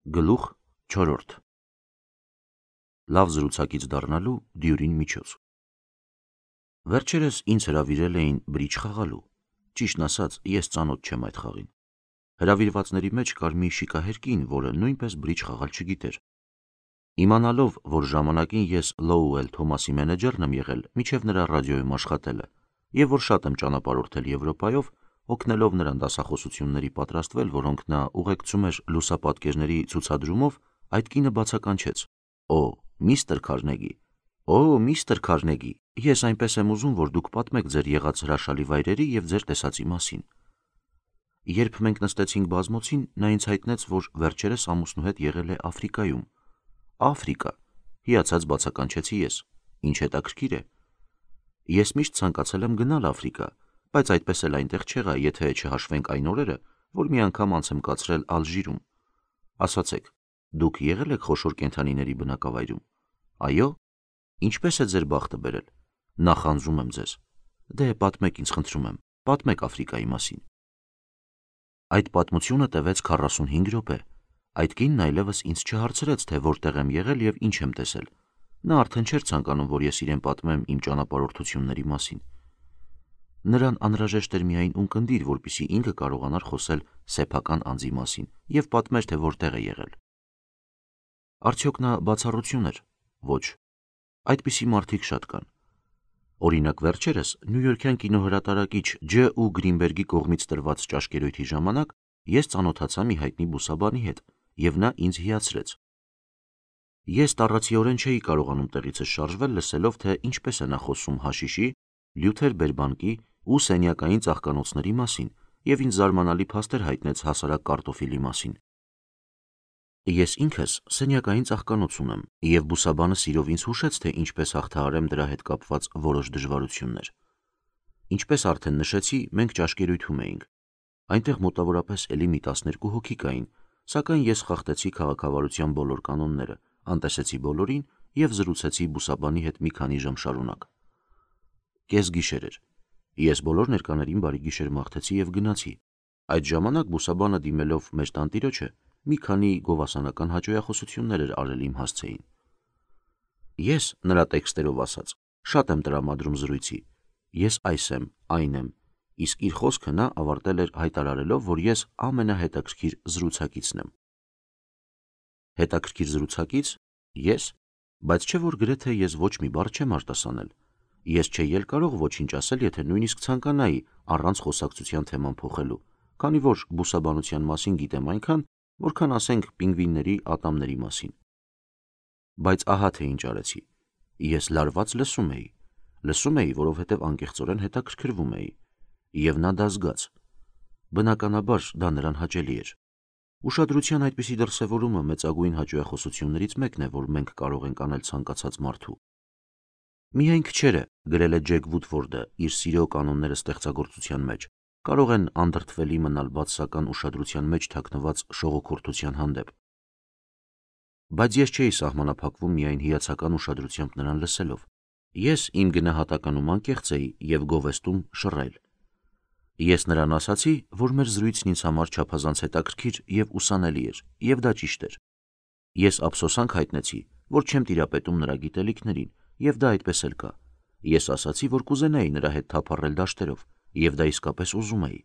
Գլուխ 4 Լավ զրուցակից դառնալու դյուրին միջոց։ Վերջերս ինձ հրավիրել էին բրիջ խաղալու, ճիշտն ասած, ես ծանոթ չեմ այդ խաղին։ Հրավիրվածների մեջ կար մի շիկահեր կին, որը նույնպես բրիջ խաղալ չգիտեր։ Իմանալով, որ ժամանակին ես Լոուել Թոմասի մենեջերն եմ եղել, մինչև նրա ռադիոյում աշխատելը, եւ որ շատ եմ ճանապարհորդել Եվրոպայով, օգնելով նրան դասախոսությունների պատրաստվել, որոնք նա ուղեկցում էր լուսապատկերների ցուցադրումով, այդ կինը բացականչեց. «Օ, միստր Քարնեգի, օ, միստր Քարնեգի, ես այնպես եմ ուզում, որ դուք պատմեք ձեր եղած հրաշալի վայրերի եւ ձեր տեսածի մասին»։ Երբ մենք նստեցինք բազմոցին, նա ինձ հայտնեց, որ վերջերս ամուսնու հետ եղել է Աֆրիկայում։ Աֆրիկա, հիացած բացականչեցի ես, ինչ հետաքրքիր է։ Ես միշտ ցանկացել եմ գնալ Աֆրիկա, բայց այդպես էլ այնտեղ չեղա, եթե չհաշվենք այն օրերը, որ մի անգամ անց եմ կացրել Ալժիրում։ Ասացեք, դուք եղել եք խոշոր կենդանիների բնակավայրում։ Այո։ Ինչպես է ձեր բախտը բերել։ Նախանձում եմ ձեզ։ Դե պատմեք ինձ, խնդրում եմ, պատմեք Աֆրիկայի մասին։ Այդ պատմությունը տևեց 45 րոպե։ Այդ կինն այլևս ինձ չհարցրեց, թե որտեղ եմ եղել եւ ինչ եմ տեսել։ Նա արդեն չէր ցանկանում, որ ես իրեն պատմեմ իմ ճանապարհորդությունների մասին։ Նրան անհրաժեշտ էր միայն ունկնդիր, որպեսզի ինքը կարողանար խոսել սեփական անձի մասին եւ պատմեր, թե որտեղ է եղել։ Արդյոք նա բացառություն էր։ Ոչ։ Այդպիսի մարդիկ շատ կան։ Օրինակ, վերջերս Նյույորքյան կինոհրատարակիչ Ջ. Ու Գրինբերգի կողմից տրված ճաշկերույթի ժամանակ ես ծանոթացա մի հայտնի բուսաբանի հետ, եւ նա ինձ հիացրեց։ Ես տառացիորեն չէի կարողանում տեղիցս շարժվել, լսելով, թե ինչպես է նա խոսում հաշիշի, լյութեր բերբանկի ու սենյակային ծաղկանոցների մասին, եւ ինձ զարմանալի փաստեր հայտնեց հասարակ կարտոֆիլի մասին։ Ես ինքս սենյակային ծաղկանոց ունեմ, եւ բուսաբանը սիրով ինձ հուշեց, թե ինչպես հաղթահարեմ դրա հետ կապված որոշ դժվարություններ։ Ինչպես արդեն նշեցի, մենք ճաշկերույթում էինք։ Այնտեղ մոտավորապես էլի մի 12 հոգի կային, սակայն ես խախտեցի քաղաքավարության բոլոր կանոնները, անտեսեցի բոլորին եւ զրուցեցի բուսաբանի հետ մի քանի ժամ շարունակ։ Կեսգիշեր էր։ Ես բոլոր ներկաներին բարի գիշեր մաղթեցի եւ գնացի։ Այդ ժամանակ բուսաբանը դիմելով մեր տանտիրոջը մի քանի գովասանական հաճոյախոսություններ էր արել իմ հասցեին։ Ես, նրա տեքստերով ասած, շատ եմ տրամադրում զրույցի։ Ես այս եմ, այն եմ, իսկ իր խոսքը նա ավարտել էր հայտարարելով, որ ես ամենահետաքրքիր զրուցակիցն եմ։ Հետաքրքիր զրուցակից։ Ես, բայց չէ որ գրեթե ես ոչ մի բառ չեմ արտասանել։ Ես չէի էլ կարող ոչինչ ասել, եթե նույնիսկ ցանկանայի առանց խոսակցության թեման փոխելու, քանի որ բուսաբանության մասին գիտեմ այնքան, որքան ասենք պինգվինների ատամների մասին։ Բայց ահա թե ինչ արեցի։ Ես լարված լսում էի, որովհետև անկեղծորեն հետաքրքրվում էի, եւ նա դա զգաց։ Բնականաբար դա նրան հաճելի էր։ Ուշադրության այդպիսի դրսևորումը մեծագույն հաճոյախոսություններից մեկն է, որ մենք կարող ենք անել ցանկացած մարդու։ Միայն քչերը, գրել է Ջեք Վուդվորդը իր Սիրո կանոնները ստեղծագործության մեջ, կարող են անդրդվելի մնալ բացասական ուշադրության մեջ թաքնված շողոքորթության հանդեպ։ Բայց ես չէի սահմանափակվում միայն հիացական ուշադրությամբ նրան լսելով։ Ես իմ գնահատականում անկեղծ էի եւ գովեստում շռայլ։ Ես նրան ասացի, որ մեր զրույցն ինձ համար չափազանց հետաքրքիր եւ ուսանելի էր, եւ դա ճիշտ էր։ Ես ափսոսանք հայտնեցի, որ չեմ տիրապետում նրա գիտելիքներին, եւ դա այդպես էլ կա։ Ես ասացի, որ կուզենայի նրա հետ թափառել դաշտերով, եւ դա իսկապես ուզում էի։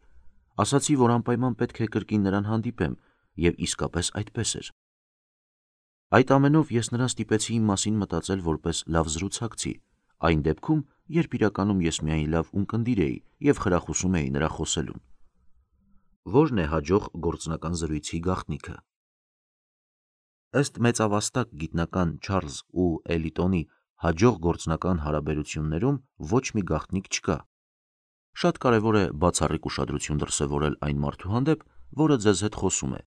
Ասացի, որ անպայման պետք է կրկին նրան հանդիպեմ, եւ իսկապես այդպես էր։ Այդ ամենով ես նրան ստիպեցի իմ մասին մտածել որպես լավ զրուցակցի, այն դեպքում, երբ իրականում ես միայն լավ ունկնդիր էի եւ խրախուսում էի նրա խոսելուն։ Ո՞րն է հաջող գործնական զրույցի գաղտնիքը։ Ըստ մեծավաստակ գիտնական Չարլզ ու Էլիտոնի հաջող գործնական հարաբերություններում ոչ մի գաղտնիք չկա։ Շատ կարևոր է բացառիկ ուշադրություն դրսևորել այն մարդու հանդեպ, որը ձեզ հետ խոսում է։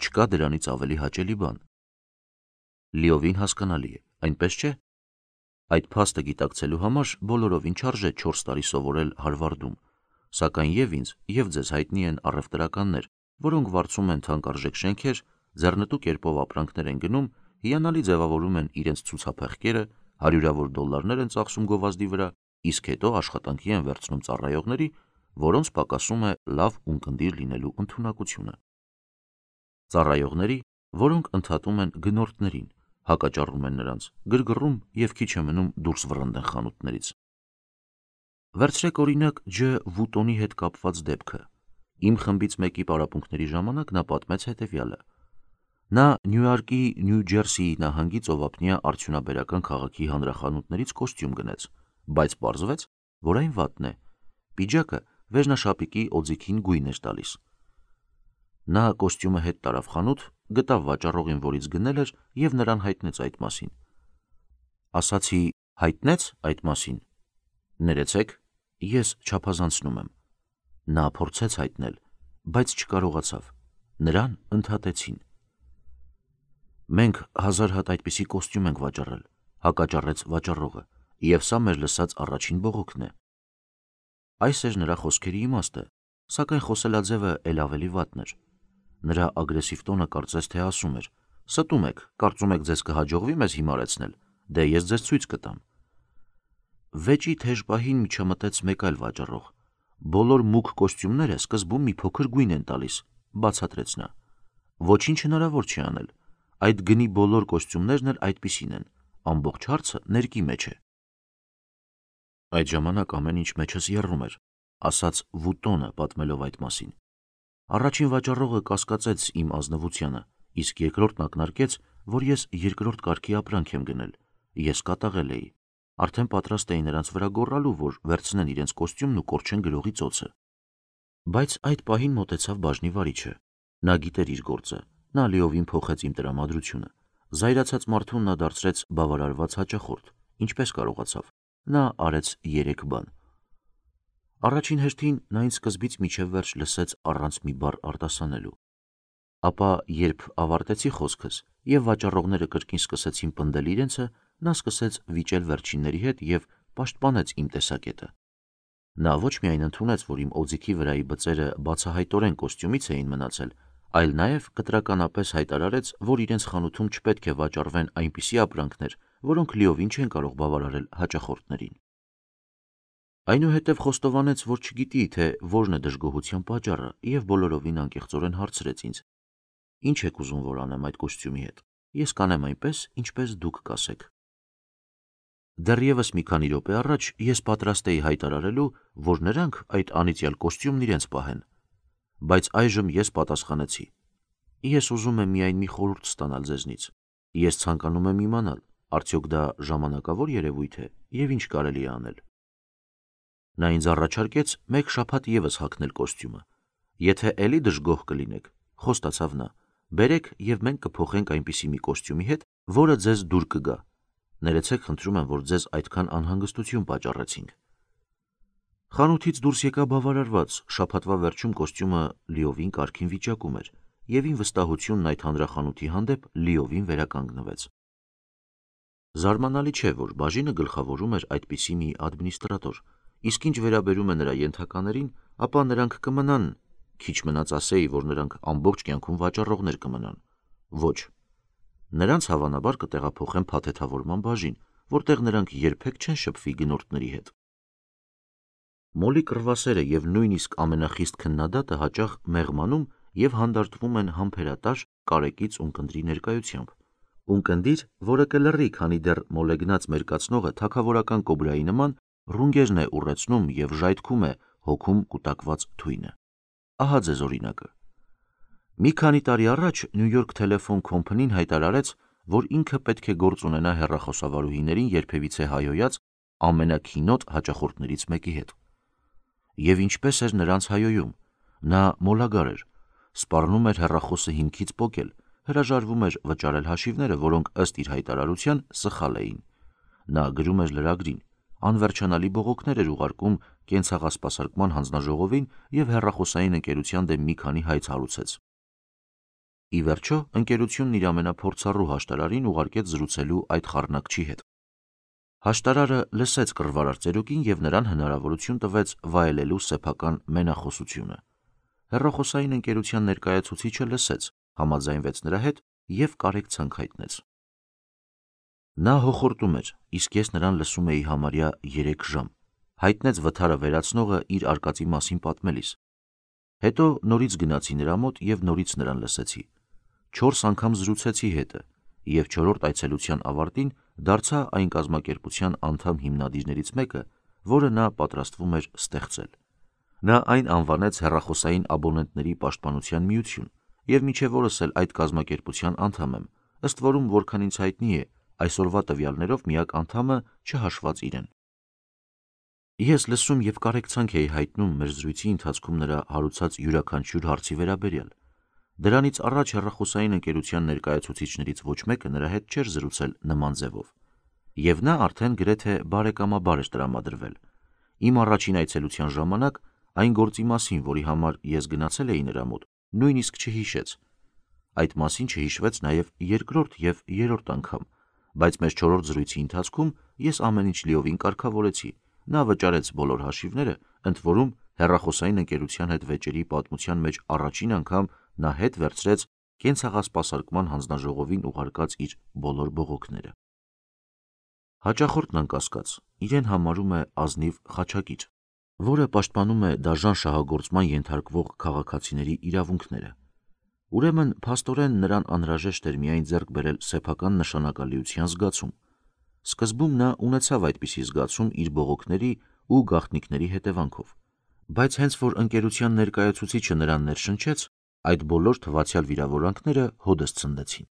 Չկա դրանից ավելի հաճելի բան։ Լիովին հասկանալի է, այնպես չէ։ Այդ փաստը գիտակցելու համար բոլորովին չարժե 4 տարի սովորել Հարվարդում, սակայն եւ ինձ, եւ ձեզ հայտնի են առևտրականներ, որոնք վարձում են թանկարժեք շենքեր, ձեռնտու կերպով ապրանքներ են գնում, հիանալի ձևավորում են իրենց ցուցափեղկերը, $100-ավոր դոլարներ են ծախսում գովազդի վրա, իսկ հետո աշխատանքի են վերցնում ծառայողների, որոնց պակասում է լավ ունկնդիր լինելու ընդունակությունը։ Ծառայողների, որոնք ընդհատում են գնորդներին, հակաճառում են նրանց, գրգռում և քիչ է մնում դուրս վռնդեն խանութներից։ Վերցրեք օրինակ Ջ. Վուտոնի հետ կապված դեպքը։ Իմ խմբից մեկի պարապմունքների ժամանակ նա պատմեց հետևյալը. նա Նյույորկի Նյու Ջերսիի նահանգի ծովափնյա արդյունաբերական քաղաքի հանրախանութներից կոստյում գնեց, բայց պարզվեց, որ այն վատն է։ Պիջակը վերնաշապիկի օձիքին գույն էր տալիս։ Նա կոստյումը հետ տարավ խանութ, գտավ վաճառողին, որից գնել էր, և նրան հայտնեց այդ մասին։ Ասացի, հայտնեց այդ մասին։ Ներեցեք, ես չափազանցնում եմ։ Նա փորձեց հայտնել, բայց չկարողացավ։ Նրան ընդհատեցին։ Մենք 1000 հատ այդպիսի կոստյում ենք վաճառել, հակաճառեց վաճառողը, և սա մեր լսած առաջին բողոքն է։ Այս էր նրա խոսքերի իմաստը, սակայն խոսելաձևը էլ ավելի վատն էր։ Նրա ագրեսիվ տոնը կարծես թե ասում էր. «Ստում եք, կարծում եք ձեզ կհաջողվի մեզ հիմարեցնել, դե ես ձեզ ցույց կտամ»։ Վեճի թեժ պահին միջամտեց մեկ այլ վաճառող։ «Բոլոր մուգ կոստյումները սկզբում մի փոքր գույն են տալիս», բացատրեց նա։ «Ոչինչ հնարավոր չի անել, այդ գնի բոլոր կոստյումներն էլ այդպիսին են, ամբողջ հարցը ներկի մեջ է»։ Այդ ժամանակ ամեն ինչ մեջս եռում էր, ասաց Վուտոնը, պատմելով այդ մասին։ Առաջին վաճառողը կասկածեց իմ ազնվությանը, իսկ երկրորդն ակնարկեց, որ ես երկրորդ կարգի ապրանք եմ գնել։ Ես կատաղել էի։ Արդեն պատրաստ էի նրանց վրա գոռալու, որ վերցնեն իրենց կոստյումն ու կորչեն գրողի ծոցը։ Բայց այդ պահին մոտեցավ բաժնի վարիչը։ Նա գիտեր իր գործը, նա լիովին փոխեց իմ տրամադրությունը։ Զայրացած մարդուն նա դարձրեց բավարարված հաճախորդ, ինչպես կարողացավ։ Նա արեց 3 բան։ Առաջին հերթին նա ինձ սկզբից մինչև վերջ լսեց առանց մի բառ արտասանելու։ Ապա, երբ ավարտեցի խոսքս և վաճառողները կրկին սկսեցին պնդել իրենցը, նա սկսեց վիճել վերջինների հետ և պաշտպանեց իմ տեսակետը։ Նա ոչ միայն ընդունեց, որ իմ օձիքի վրայի բծերը բացահայտորեն կոստյումից էին մնացել, այլ նաև կտրականապես հայտարարեց, որ իրենց խանութում չպետք է վաճառվեն այնպիսի ապրանքներ, որոնք լիովին չեն կարող բավարարել հաճախորդներին։ Այնուհետև խոստովանեց, որ չգիտի, թե որն է դժգոհության պատճառը, և բոլորովին անկեղծորեն հարցրեց ինձ. «Ինչ եք ուզում, որ անեմ այդ կոստյումի հետ։ Ես կանեմ այնպես, ինչպես դուք կասեք»։ Դեռևս մի քանի րոպե առաջ ես պատրաստ էի հայտարարելու, որ նրանք այդ անիծյալ կոստյումն իրենց պահեն, բայց այժմ ես պատասխանեցի. «Ես ուզում եմ միայն մի խորհուրդ ստանալ ձեզնից։ Ես ցանկանում եմ իմանալ, արդյոք դա ժամանակավոր երևույթ է և ինչ կարելի է անել»։ Նա ինձ առաջարկեց 1 շաբաթ ևս հագնել կոստյումը։ «Եթե էլի դժգոհ կլինեք», խոստացավ նա, «բերեք և մենք կփոխենք այնպիսի մի կոստյումի հետ, որը ձեզ դուր կգա։ Ներեցեք, խնդրում եմ, որ ձեզ այդքան անհանգստություն պատճառեցինք»։ Խանութից դուրս եկա բավարարված, շաբաթվա վերջում կոստյումը լիովին կարգին վիճակում էր, և իմ վստահությունն այդ հանրախանութի հանդեպ լիովին վերականգնվեց։ Զարմանալի չէ, որ բաժինը գլխավորում էր այդպիսի մի ադմինիստրատոր, իսկ ինչ վերաբերում է նրա ենթականերին, ապա նրանք կմնան, քիչ մնաց ասեի, որ նրանք ամբողջ կյանքում վաճառողներ կմնան։ Ոչ, նրանց հավանաբար կտեղափոխեն փաթեթավորման բաժին, որտեղ նրանք երբեք չեն շփվի գնորդների հետ։ Մոլի կռվասերը և նույնիսկ ամենախիստ քննադատը հաճախ մեղմանում և հանդարտվում են համբերատար, կարեկից ունկնդրի ներկայությամբ։ Ունկնդիր, որը կլռի, քանի դեռ մոլեգնած մերկացնողը թագավորական կոբրայի նման ռունգերն է ուռեցնում և ժայթքում է հոգում կուտակված թույնը։ Ահա ձեզ օրինակը։ Մի քանի տարի առաջ New York Telephone Company-ն հայտարարեց, որ ինքը պետք է գործ ունենա հեռախոսավարուհիներին երբևիցե հայհոյած ամենաքինոտ հաճախորդներից մեկի հետ։ Եվ ինչպես էր նրանց հայհոյում։ Նա մոլագար էր, սպառնում էր հեռախոսը հիմքից պոկել, հրաժարվում էր վճարել հաշիվները, որոնք ըստ իր հայտարարության սխալ էին։ Նա գրում էր լրագրին, անվերջանալի բողոքներ էր ուղարկում կենցաղասպասարկման հանձնաժողովին և հեռախոսային ընկերության դեմ մի քանի հայց հարուցեց։ Ի վերջո, ընկերությունն իր ամենափորձառու հաշտարարին ուղարկեց զրուցելու այդ խառնակչի հետ։ Հաշտարարը լսեց կռվարար ծերուկին և նրան հնարավորություն տվեց վայելելու սեփական մենախոսությունը։ Հեռախոսային ընկերության ներկայացուցիչը լսեց, համաձայնվեց նրա հետ և կարեկցանք հայտնեց։ Նա հոխորտում էր, իսկ ես նրան լսում էի համարյա 3 ժամ, հայտնեց վթարը վերացնողը իր արկածի մասին պատմելիս։ Հետո նորից գնացի նրա մոտ և նորից նրան լսեցի։ 4 անգամ զրուցեցի հետը և 4-րդ այցելության ավարտին դարձա այն կազմակերպության անդամ հիմնադիրներից մեկը, որը նա պատրաստվում էր ստեղծել։ Նա այն անվանեց հեռախոսային աբոնենտների պաշտպանության միություն և մինչև օրս էլ այդ կազմակերպության անդամ եմ, ըստ որում, որքան ինձ հայտնի է, այսօրվա տվյալներով միակ անդամը չհաշված իրեն։ Ես լսում և կարեկցանք էի հայտնում մեր զրույցի ընթացքում նրա հարուցած յուրաքանչյուր հարցի վերաբերյալ։ Դրանից առաջ հեռախոսային ընկերության ներկայացուցիչներից ոչ մեկը նրա հետ չէր զրուցել նման ձևով, և նա արդեն գրեթե բարեկամաբար էր տրամադրվել։ Իմ առաջին այցելության ժամանակ այն գործի մասին, որի համար ես գնացել էի նրա մոտ, նույնիսկ չհիշեց։ Այդ մասին չհիշվեց նաև երկրորդ և երրորդ անգամ, բայց մեր 4-րդ զրույցի ընթացքում ես ամեն ինչ լիովին կարգավորեցի։ Նա վճարեց բոլոր հաշիվները, ընդ որում հեռախոսային ընկերության հետ վեճերի պատմության մեջ առաջին անգամ նա հետ վերցրեց կենցաղասպասարկման հանձնաժողովին ուղարկած իր բոլոր բողոքները։ Հաճախորդն անկասկած իրեն համարում է ազնիվ խաչակիր, որը պաշտպանում է դաժան շահագործման ենթարկվող քաղաքացիների իրավունքները։ Ուրեմն փաստորեն նրան անհրաժեշտ էր միայն ձեռք բերել սեփական նշանակալիության զգացում։ Սկզբում նա ունեցավ այդպիսի զգացում իր բողոքների ու գաղտնիքների հետևանքով, բայց հենց որ ընկերության ներկայացուցիչը նրան ներշնչեց, այդ բոլոր թվացյալ վիրավորանքները հօդս ցնդեցին։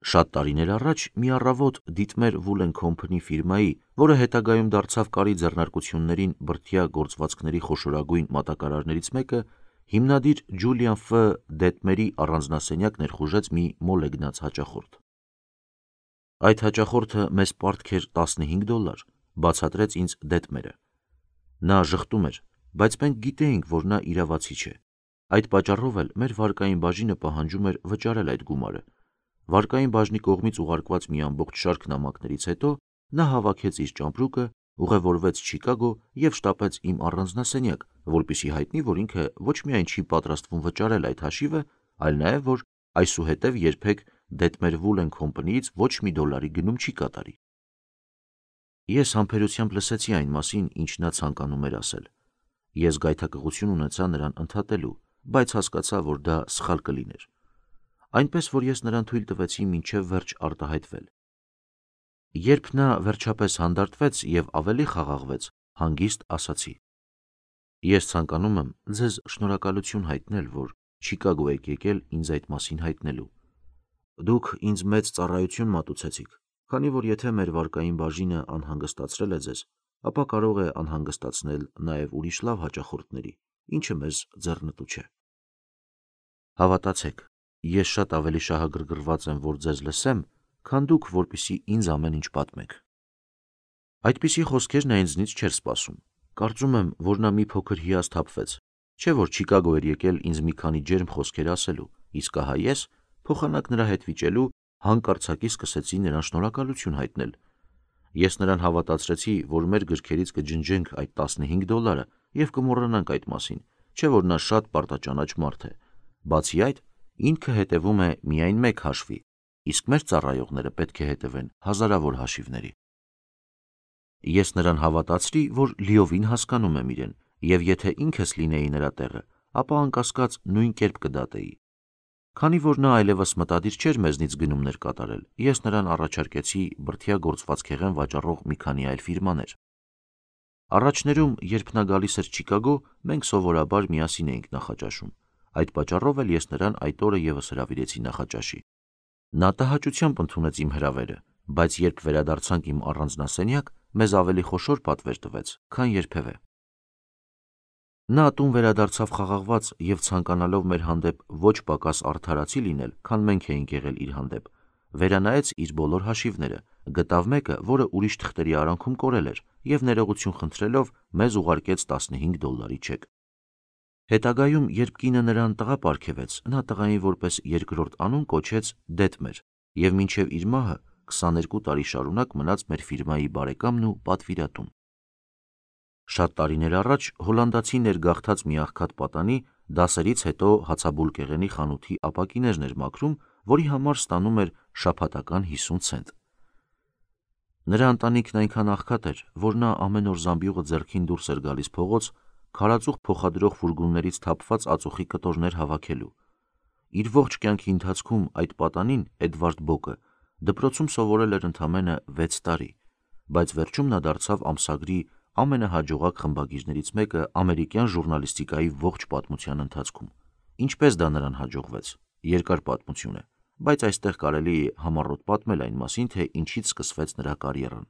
Շատ տարիներ առաջ մի առավոտ Dietmar Wool & Company ֆիրմայի, որը հետագայում դարձավ կարի ձեռնարկություններին բրդյա գործվածքների խոշորագույն մատակարարներից մեկը, հիմնադիր Ջուլիան Ֆ. Դետմերի առանձնասենյակ ներխուժեց մի մոլեգնած հաճախորդ։ Այդ հաճախորդը մեզ պարտք էր $15, բացատրեց ինձ Դետմերը։ Նա ժխտում էր, բայց մենք գիտեինք, որ նա իրավացի չէ։ Այդ պատճառով էլ մեր վարկային բաժինը պահանջում էր վճարել այդ գումարը։ Վարկային բաժնի կողմից ուղարկված մի ամբողջ շարք նամակներից հետո նա հավաքեց իր ճամպրուկը, ուղևորվեց Չիկագո և շտապեց իմ առանձնասենյակ, որպեսզի հայտնի, որ ինքը ոչ միայն չի պատրաստվում վճարել այդ հաշիվը, այլ նաև, որ այսուհետև երբեք Dietmar Wool & Company-ից ոչ մի $1 գնում չի կատարի։ Ես համբերությամբ լսեցի այն մասին, ինչ նա ցանկանում էր ասել։ Ես գայթակղություն ունեցա նրան ընդհատելու, բայց հասկացա, որ դա սխալ կլիներ։ Այնպես որ ես նրան թույլ տվեցի մինչև վերջ արտահայտվել։ Երբ նա վերջապես հանդարտվեց և ավելի խաղաղվեց, հանգիստ ասացի. Ես ցանկանում եմ ձեզ շնորհակալություն հայտնել, որ Չիկագո եք եկել ինձ այդ մասին հայտնելու։ Դուք ինձ մեծ ծառայություն մատուցեցիք, քանի որ եթե մեր վարկային բաժինը անհանգստացրել է ձեզ, ապա կարող է անհանգստացնել նաև ուրիշ լավ հաճախորդների, ինչը մեզ ձեռնտու չէ։ Հավատացեք, ես շատ ավելի շահագրգռված եմ, որ ձեզ լսեմ, քան դուք, որպեսզի ինձ ամեն ինչ պատմեք։ Այդպիսի խոսքեր նա ինձնից չէր սպասում։ Կարծում եմ, որ նա մի փոքր հիասթափվեց, չէ՞ որ Չիկագո էր եկել ինձ մի քանի ջերմ խոսքեր ասելու, իսկ ահա ես, փոխանակ նրա հետ վիճելու, հանկարծակի սկսեցի նրան շնորհակալություն հայտնել։ Ես նրան հավատացրեցի, որ մեր գրքերից կջնջենք այդ $15 և կմոռանանք այդ մասին, չէ՞ որ նա շատ պարտաճանաչ մարդ է։ Բացի այդ, ինքը հետևում է միայն մեկ հաշվի, իսկ մեր ծառայողները պետք է հետևեն հազարավոր հաշիվների։ Ես նրան հավատացրի, որ լիովին հասկանում եմ իրեն, և եթե ինքս լինեի նրա տեղը, ապա անկասկած նույն կերպ կդատեի։ Քանի որ նա այլևս մտադիր չէր մեզնից գնումներ կատարել, ես նրան առաջարկեցի բրդյա գործվածքեղեն վաճառող մի քանի այլ ֆիրմաներ։ Առաջներում, երբ նա գալիս էր Չիկագո, մենք սովորաբար միասին էինք նախաճաշում։ Այդ պատճառով էլ ես նրան այդ օրը ևս հրավիրեցի նախաճաշի։ Նա տհաճությամբ ընդունեց իմ հրավերը, բայց երբ վերադարձանք իմ առանձնասենյակ, մեզ ավելի խոշոր պատվեր տվեց, քան երբևէ։ Նա տուն վերադարձավ խաղաղված և ցանկանալով մեր հանդեպ ոչ պակաս արդարացի լինել, քան մենք էինք եղել իր հանդեպ, վերանայեց իր բոլոր հաշիվները, գտավ մեկը, որը ուրիշ թղթերի արանքում կորել էր, և ներողություն խնդրելով մեզ ուղարկեց $15 չեկ։ Հետագայում, երբ կինը նրան տղա պարգևեց, նա տղային որպես երկրորդ անուն կոչեց Դետմեր և մինչև իր մահը 22 տարի շարունակ մնաց մեր ֆիրմայի բարեկամն ու պատվիրատուն։ Շատ տարիներ առաջ հոլանդացի ներգաղթած մի աղքատ պատանի դասերից հետո հացաբուլկեղենի խանութի ապակիներն էր մաքրում, որի համար ստանում էր շաբաթական 50 ցենտ։ Նրա ընտանիքն այնքան աղքատ էր, որ նա ամեն օր զամբյուղը ձեռքին դուրս էր գալիս փողոց, քարածուխ փոխադրող ֆուրգոններից թափված ածուխի կտորներ հավաքելու, Իր ողջ կյանքի ընթացքում այդ պատանին Էդվարդ Բոկը դպրոցում սովորել էր ընդամենը 6 տարի, բայց վերջում նա դարձավ ամսագրի ամենահաջողակ խմբագիրներից մեկը ամերիկյան ժուրնալիստիկայի ողջ պատմության ընթացքում։ Ինչպես դա նրան հաջողվեց, երկար պատմություն է, բայց այստեղ կարելի է համառոտ պատմել այն մասին, թե ինչից սկսվեց նրա կարիերան։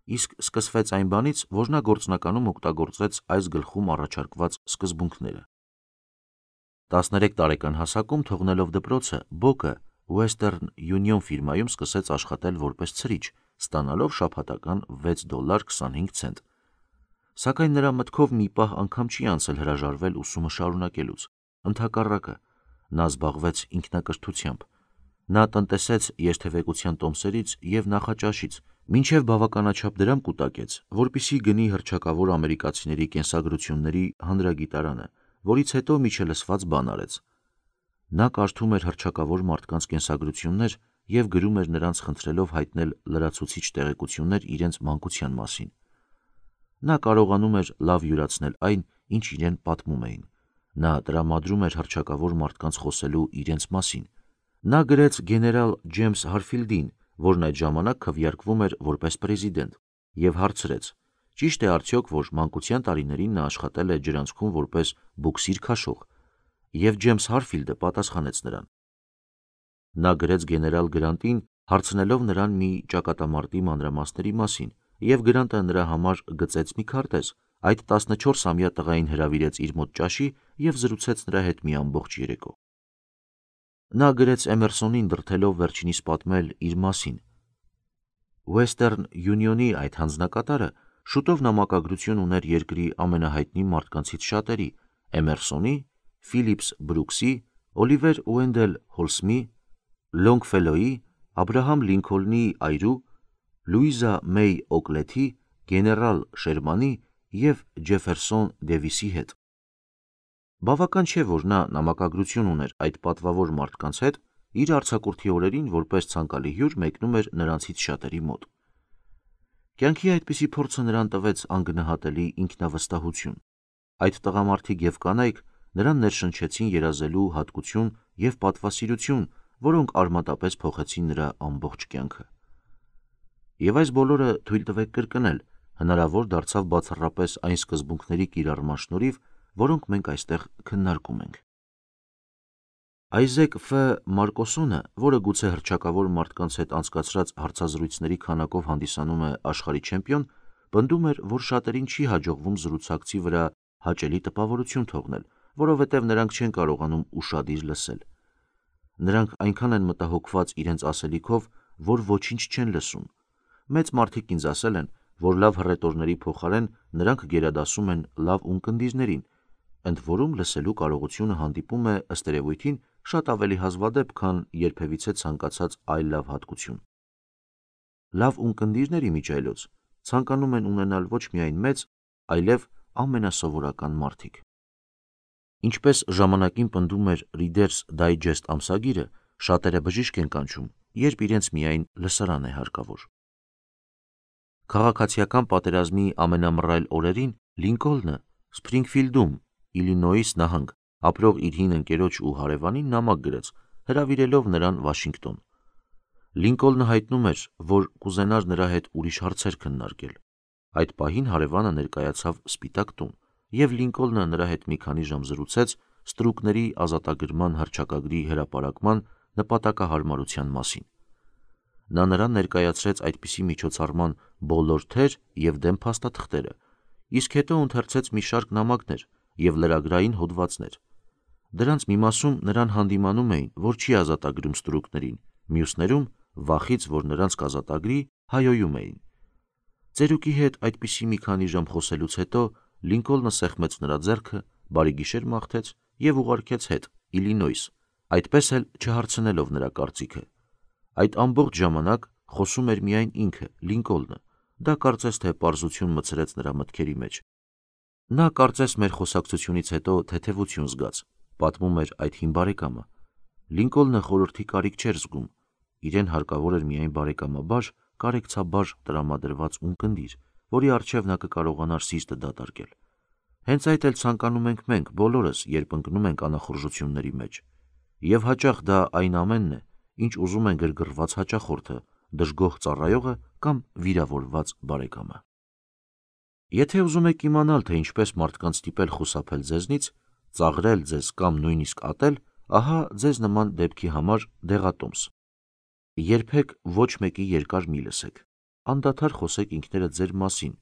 Իսկ սկսվեց այն բանից, որ նա գործնականում օգտագործեց այս գլխում առաջարկված սկզբունքները։ 13 տարեկան հասակում թողնելով դպրոցը, Բոկը Western Union ֆիրմայում սկսեց աշխատել որպես ցրիչ, ստանալով շաբաթական $6.25։ Սակայն նրա մտքով մի պահ անգամ չի անցել հրաժարվել ուսումը շարունակելուց։ Ընդհակառակը, նա զբաղվեց ինքնակրթությամբ։ Նա տնտեսեց երթևեկության տոմսերից և նախաճաշից, մինչև բավականաչափ դրամ կուտակեց, որպեսզի գնի հռչակավոր ամերիկացիների կենսագրությունների հանրագիտարանը, որից հետո միջելսված բան արեց։ Նա կարդում էր հռչակավոր մարդկանց կենսագրություններ և գրում էր նրանց խնդրելով հայտնել լրացուցիչ տեղեկություններ իրենց մանկության մասին։ Նա կարողանում էր լավ յուրացնել այն, ինչ իրեն պատմում էին։ Նա տրամադրում էր հռչակավոր մարդկանց խոսելու իրենց մասին։ Նա գրեց գեներալ Ջեյմս Հարֆիլդին, որն այդ ժամանակ քվեարկվում էր որպես պրեզիդենտ, և հարցրեց. ճիշտ է արդյոք, որ մանկության տարիներին նա աշխատել է ջրանցքում որպես բուքսիր քաշող, և Ջեյմս Հարֆիլդը պատասխանեց նրան։ Նա գրեց գեներալ Գրանտին, հարցնելով նրան մի ճակատամարտի մանրամասների մասին, և Գրանտը նրա համար գծեց մի քարտեզ, այդ 14-ամյա տղային հրավիրեց իր մոտ ճաշի և զրուցեց նրա հետ մի ամբողջ երեկո։ Նա գրեց Էմերսոնին դրդելով վերջինիս պատմել իր մասին։ Western Union-ի այդ հանձնակատարը շուտով նամակագրություն ուներ երկրի ամենահայտնի մարդկանցից շատերի՝ Էմերսոնի, Ֆիլիփս Բրուքսի, Օլիվեր Ուենդել Հոլսմի, Լոնգֆելոյի, Աբրահամ Լինքոլնի այրու, Լուիզա Մեյ Օկլեթի, գեներալ Շերմանի և Ջեֆերսոն Դեվիսի հետ։ Բավական չէ, որ նա նամակագրություն ուներ այդ պատվավոր մարդկանց հետ, իր արձակուրդի օրերին որպես ցանկալի հյուր մեկնում էր նրանցից շատերի մոտ։ Կյանքի այդպիսի փորձը նրան տվեց անգնահատելի ինքնավստահություն։ Այդ տղամարդիկ և կանայք նրան ներշնչեցին երազելու հատկություն և պատվասիրություն, որոնք արմատապես փոխեցին նրա ամբողջ կյանքը։ Եվ այս բոլորը, թույլ տվեք կրկնել, հնարավոր դարձավ բացառապես այն սկզբունքների կիրառման շնորհիվ, որոնք մենք այստեղ քննարկում ենք։ Այզեք Ֆ. Մարկոսոնը, որը գուցե հռչակավոր մարդկանց հետ անցկացրած հարցազրույցների քանակով հանդիսանում է աշխարհի չեմպիոն, պնդում էր, որ շատերին չի հաջողվում զրուցակցի վրա հաճելի տպավորություն թողնել, որովհետև նրանք չեն կարողանում ուշադիր լսել։ Նրանք այնքան են մտահոգված իրենց ասելիքով, որ ոչինչ չեն լսում։ Մեծ մարդիկ ինձ ասել են, որ լավ հռետորների փոխարեն նրանք գերադասում են լավ ունկնդիրներին, ընդ որում լսելու կարողությունը հանդիպում է ըստ երևույթին շատ ավելի հազվադեպ, քան երբևիցե ցանկացած այլ լավ հատկություն։ Լավ ունկնդիրներ իմիջիայլոց ցանկանում են ունենալ ոչ միայն մեծ, այլև ամենասովորական մարդիկ։ Ինչպես ժամանակին պնդում էր Reader's Digest ամսագիրը, շատերը բժիշկ են կանչում, երբ իրենց միայն լսարան է հարկավոր։ Քաղաքացիական պատերազմի ամենամռայլ օրերին Լինկոլնը Սփրինգֆիլդում, Իլինոյս նահանգ, ապրող իր հին ընկերոջ ու հարևանին նամակ գրեց, հրավիրելով նրան Վաշինգտոն։ Լինկոլնը հայտնում էր, որ կուզենար նրա հետ ուրիշ հարցեր քննարկել։ Այդ պահին հարևանը ներկայացավ Սպիտակ տուն, և Լինկոլնը նրա հետ մի քանի ժամ զրուցեց ստրուկների ազատագրման հռչակագրի հրապարակման նպատակահարմարության մասին։ Նա նրան ներկայացրեց այդպիսի միջոցառման բոլոր թեր և դեմ փաստաթղթերը, իսկ հետո ընթերցեց մի շարք նամակներ և լրագրային հոդվածներ։ Դրանց մի մասում նրան հանդիմանում էին, որ չի ազատագրում ստրուկներին, մյուսներում, վախից, որ նրանց կազատագրի, հայհոյում էին։ Ծերուկի հետ այդպիսի մի քանի ժամ խոսելուց հետո Լինկոլնը սեղմեց նրա ձեռքը, բարի գիշեր մաղթեց և ուղարկեց հետ Իլինոյս, այդպես էլ չհարցնելով նրա կարծիքը։ Այդ ամբողջ ժամանակ խոսում էր միայն ինքը, Լինկոլնը, դա կարծես թե պարզություն մցրեց նրա մտքերի մեջ։ Նա կարծես մեր խոսակցությունից հետո թեթևություն զգաց, պատմում էր այդ հին բարեկամը։ Լինկոլնը խորհրդի կարիք չէր զգում, իրեն հարկավոր էր միայն բարեկամաբար, կարեկցաբար տրամադրված ունկնդիր, որի առջև նա կկարողանար սիրտը դատարկել։ Հենց այդ էլ ցանկանում ենք մենք բոլորս, երբ ընկնում ենք անախորժությունների մեջ։ Եվ հաճախ դա այն ամենն է, ինչ ուզում են գրգռված հաճախորդը, դժգոհ ծառայողը կամ վիրավորված բարեկամը։ Եթե ուզում եք իմանալ, թե ինչպես մարդկանց ստիպել խուսափել ձեզնից, ծաղրել ձեզ կամ նույնիսկ ատել, ահա ձեզ նման դեպքի համար դեղատոմս։ Երբեք ոչ մեկի երկար մի լսեք, անդադար խոսեք ինքներդ ձեր մասին,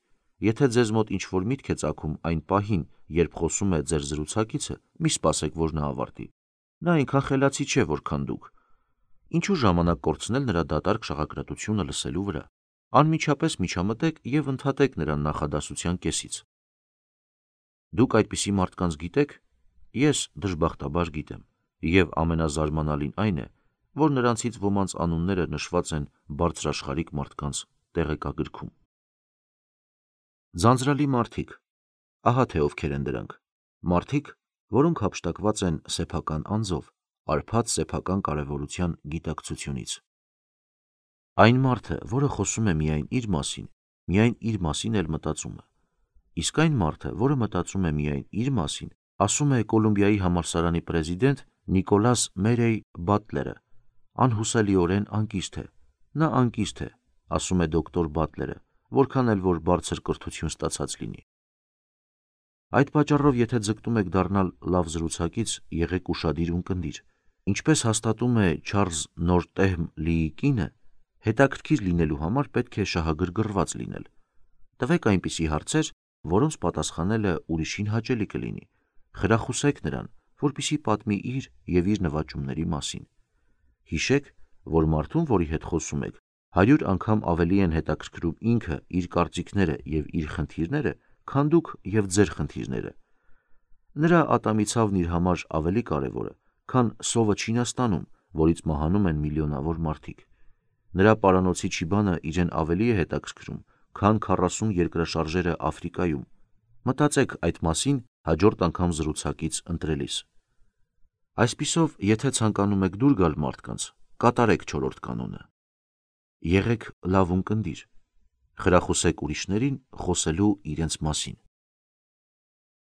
եթե ձեզ մոտ ինչ-որ միտք է ծագում այն պահին, երբ խոսում է ձեր զրուցակիցը, մի սպասեք, որ նա ավարտի։ Նա այնքան խելացի չէ, որքան դուք։ Ինչու ժամանակ կորցնել նրա դատարկ շաղակրատությունը լսելու վրա։ Անմիջապես միջամտեք և ընդհատեք նրան նախադասության կեսից։ Դուք այդպիսի մարդկանց գիտեք։ Ես դժբախտաբար գիտեմ, և ամենազարմանալին այն է, որ նրանցից ոմանց անունները նշված են բարձրաշխարհիկ մարդկանց տեղեկագրքում։ Ձանձրալի մարդիկ։ Ահա թե ովքեր են դրանք։ Մարդիկ, որոնք հափշտակված են սեփական անձով, արփած սեփական կարևորության գիտակցությունից։ Այն մարդը, որը խոսում է միայն իր մասին էլ մտածում է։ Իսկ այն մարդը, որը մտածում է միայն իր մասին, ասում է Կոլումբիայի համալսարանի պրեզիդենտ Նիկոլաս Մերեյ Բատլերը, անհուսալիորեն անկիստ է։ Նա անկիստ է, ասում է դոկտոր Բատլերը, որքան էլ որ բարձր կրթություն ստացած լինի։ Այդ պատճառով, եթե ձգտում եք դառնալ լավ զրուցակից, եղեք ուշադիր ու ունկնդիր։ Ինչպես հաստատում է Չարլզ Նորտեհմ Լիի կինը, հետաքրքիր լինելու համար պետք է շահագրգռված լինել։ Տվեք այնպիսի հարցեր, որոնց պատասխանելը ուրիշին հաճելի կլինի։ Խրախուսեք նրան, որպեսզի պատմի իր և իր նվաճումների մասին։ Հիշեք, որ մարդուն, որի հետ խոսում եք, 100 անգամ ավելի են հետաքրքրում ինքը, իր կարծիքները և իր խնդիրները, քան դուք և ձեր խնդիրները։ Նրա ատամի ցավն իր համար ավելի կարևոր է, քան սովը Չինաստանում, որից մահանում են միլիոնավոր մարդիկ։ Նրա պարանոցի չիբանը իրեն ավելի է հետաքրքրում, քան 40 երկրաշարժերը Աֆրիկայում։ Մտածեք այդ մասին հաջորդ անգամ զրուցակից ընտրելիս։ Այսպիսով, եթե ցանկանում եք դուր գալ մարդկանց, կատարեք 4-րդ կանոնը։ Եղեք լավ ունկնդիր։ Խրախուսեք ուրիշներին խոսելու իրենց մասին։